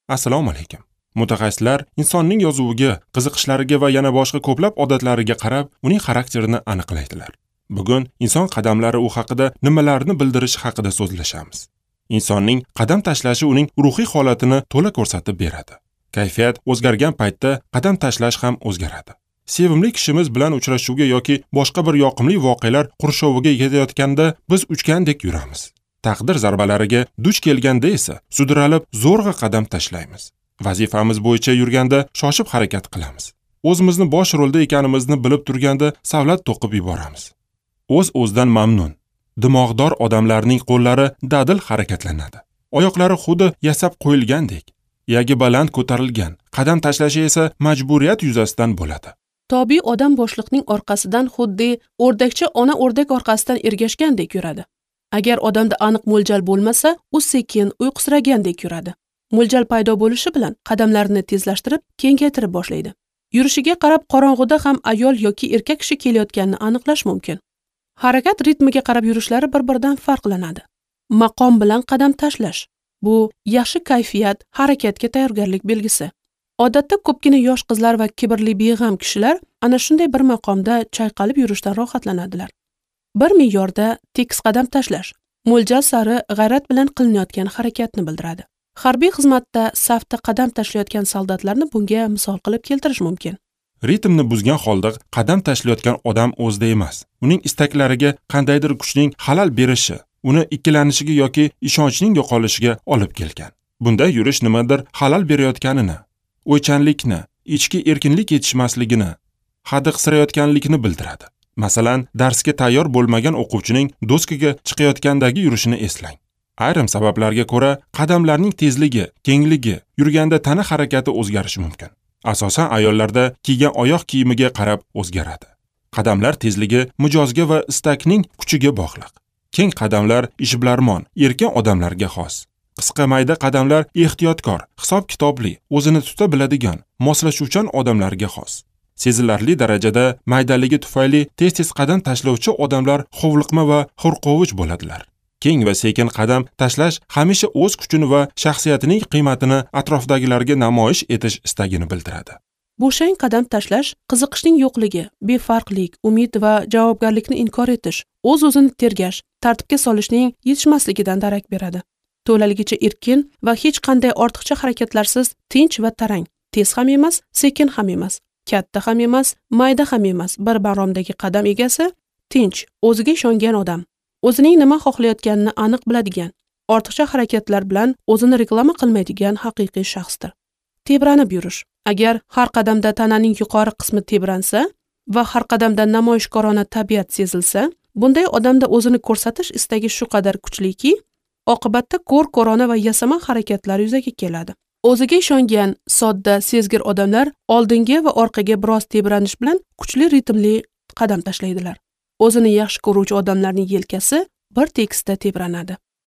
Assalomu alaykum. Mutaxassislar insonning yozuviga, qiziqishlariga va yana boshqa ko'plab odatlariga qarab uning xarakterini aniqlaydilar. Bugun inson qadamlari u haqida nimalarni bildirishi haqida so'zlashamiz. Insonning qadam tashlashi uning ruhiy holatini to'la ko'rsatib beradi. Kayfiyat o'zgargan paytda qadam tashlash ham o'zgaradi. Sevimli kishimiz bilan uchrashuvga yoki boshqa bir yoqimli voqealar qurshoviga ketayotganda biz uchgandek yuramiz. Taqdir zarbalariga duch kelganda esa sudralib zo'rg'a qadam tashlaymiz. Vazifamiz bo'yicha yurganda shoshib harakat qilamiz. O'zimizni bosh rolda ekanimizni bilib turganda savlat to'qib yuboramiz. O'z-o'zidan mamnun, dimog'dor odamlarning qo'llari dadil harakatlanadi. Oyoqlari xuddi yasab qo'yilgandek, yagi baland ko'tarilgan, qadam tashlashi esa majburiyat yuzasidan bo'ladi. Tobiiy odam boshliqning orqasidan xuddi o'rdakcha ona o'rdak orqasidan ergashgandek yuradi. Agar odamda aniq mo'ljal bo'lmasa, u sekin uyqusiragandek yuradi. Mo'ljal paydo bo'lishi bilan qadamlarini tezlashtirib, kengaytirib boshlaydi. Yurishiga qarab qorong'uda ham ayol yoki erkak kishi kelayotganini aniqlash mumkin. Harakat ritmiga qarab yurishlari bir-biridan farqlanadi. Maqom bilan qadam tashlash bu yaxshi kayfiyat, harakatga tayyorgarlik belgisi. Odatda ko'pgina yosh qizlar va kibrli beg'am kishilar ana shunday bir maqomda chayqalib yurishdan rohatlanadilar. Bir me'yorda tekis qadam tashlash mo'ljal sari g'ayrat bilan qilinayotgan harakatni bildiradi. Harbiy xizmatda safda qadam tashlayotgan soldatlarni bunga misol qilib keltirish mumkin. Ritmni buzgan holda qadam tashlayotgan odam o'zida emas. Uning istaklariga qandaydir kuchning xalal berishi, uni ikkilanishiga yoki ishonchning yo'qolishiga olib kelgan. Bunda yurish nimadir xalal berayotganini, o'ychanlikni, ichki erkinlik yetishmasligini, hadiqsirayotganlikni bildiradi. Masalan, darsga tayyor bo'lmagan o'quvchining doskaga chiqayotgandagi yurishini eslang. Ayrim sabablarga ko'ra qadamlarning tezligi, kengligi, yurganda tana harakati o'zgarishi mumkin. Asosan ayollarda kiygan oyoq kiyimiga qarab o'zgaradi. Qadamlar tezligi mijozga va istakning kuchiga bog'liq. Keng qadamlar ishbilarmon, erkin odamlarga xos. Qisqa mayda qadamlar ehtiyotkor, hisob-kitobli, o'zini tuta biladigan, moslashuvchan odamlarga xos. Sezilarli darajada maydaligi tufayli tez-tez qadam tashlovchi odamlar hovliqma va hurqovich bo'ladilar. Keng va sekin qadam tashlash hamisha o'z kuchini va shaxsiyatining qiymatini atrofdagilarga namoyish etish istagini bildiradi. Bo'shang qadam tashlash qiziqishning yo'qligi, befarqlik, umid va javobgarlikni inkor etish, o'z-o'zini tergash, tartibga solishning yetishmasligidan darak beradi. To'laligicha erkin va hech qanday ortiqcha harakatlarsiz tinch va tarang, tez ham emas, sekin ham emas, katta ham emas, mayda ham emas, bir maromdagi qadam egasi tinch, o'ziga ishongan odam. O'zining nima xohlayotganini aniq biladigan, ortiqcha harakatlar bilan o'zini reklama qilmaydigan haqiqiy shaxsdir. Tebranib yurish. Agar har qadamda tananing yuqori qismi tebransa va har qadamda namoyishkorona tabiat sezilsa, bunday odamda o'zini ko'rsatish istagi shu qadar kuchliki, oqibatda ko'r-ko'rona va yasama harakatlar yuzaga keladi. O'ziga ishongan, sodda, sezgir odamlar oldinga va orqaga biroz tebranish bilan kuchli ritmli qadam tashlaydilar. O'zini yaxshi ko'ruvchi odamlarning yelkasi bir tekisda tebranadi.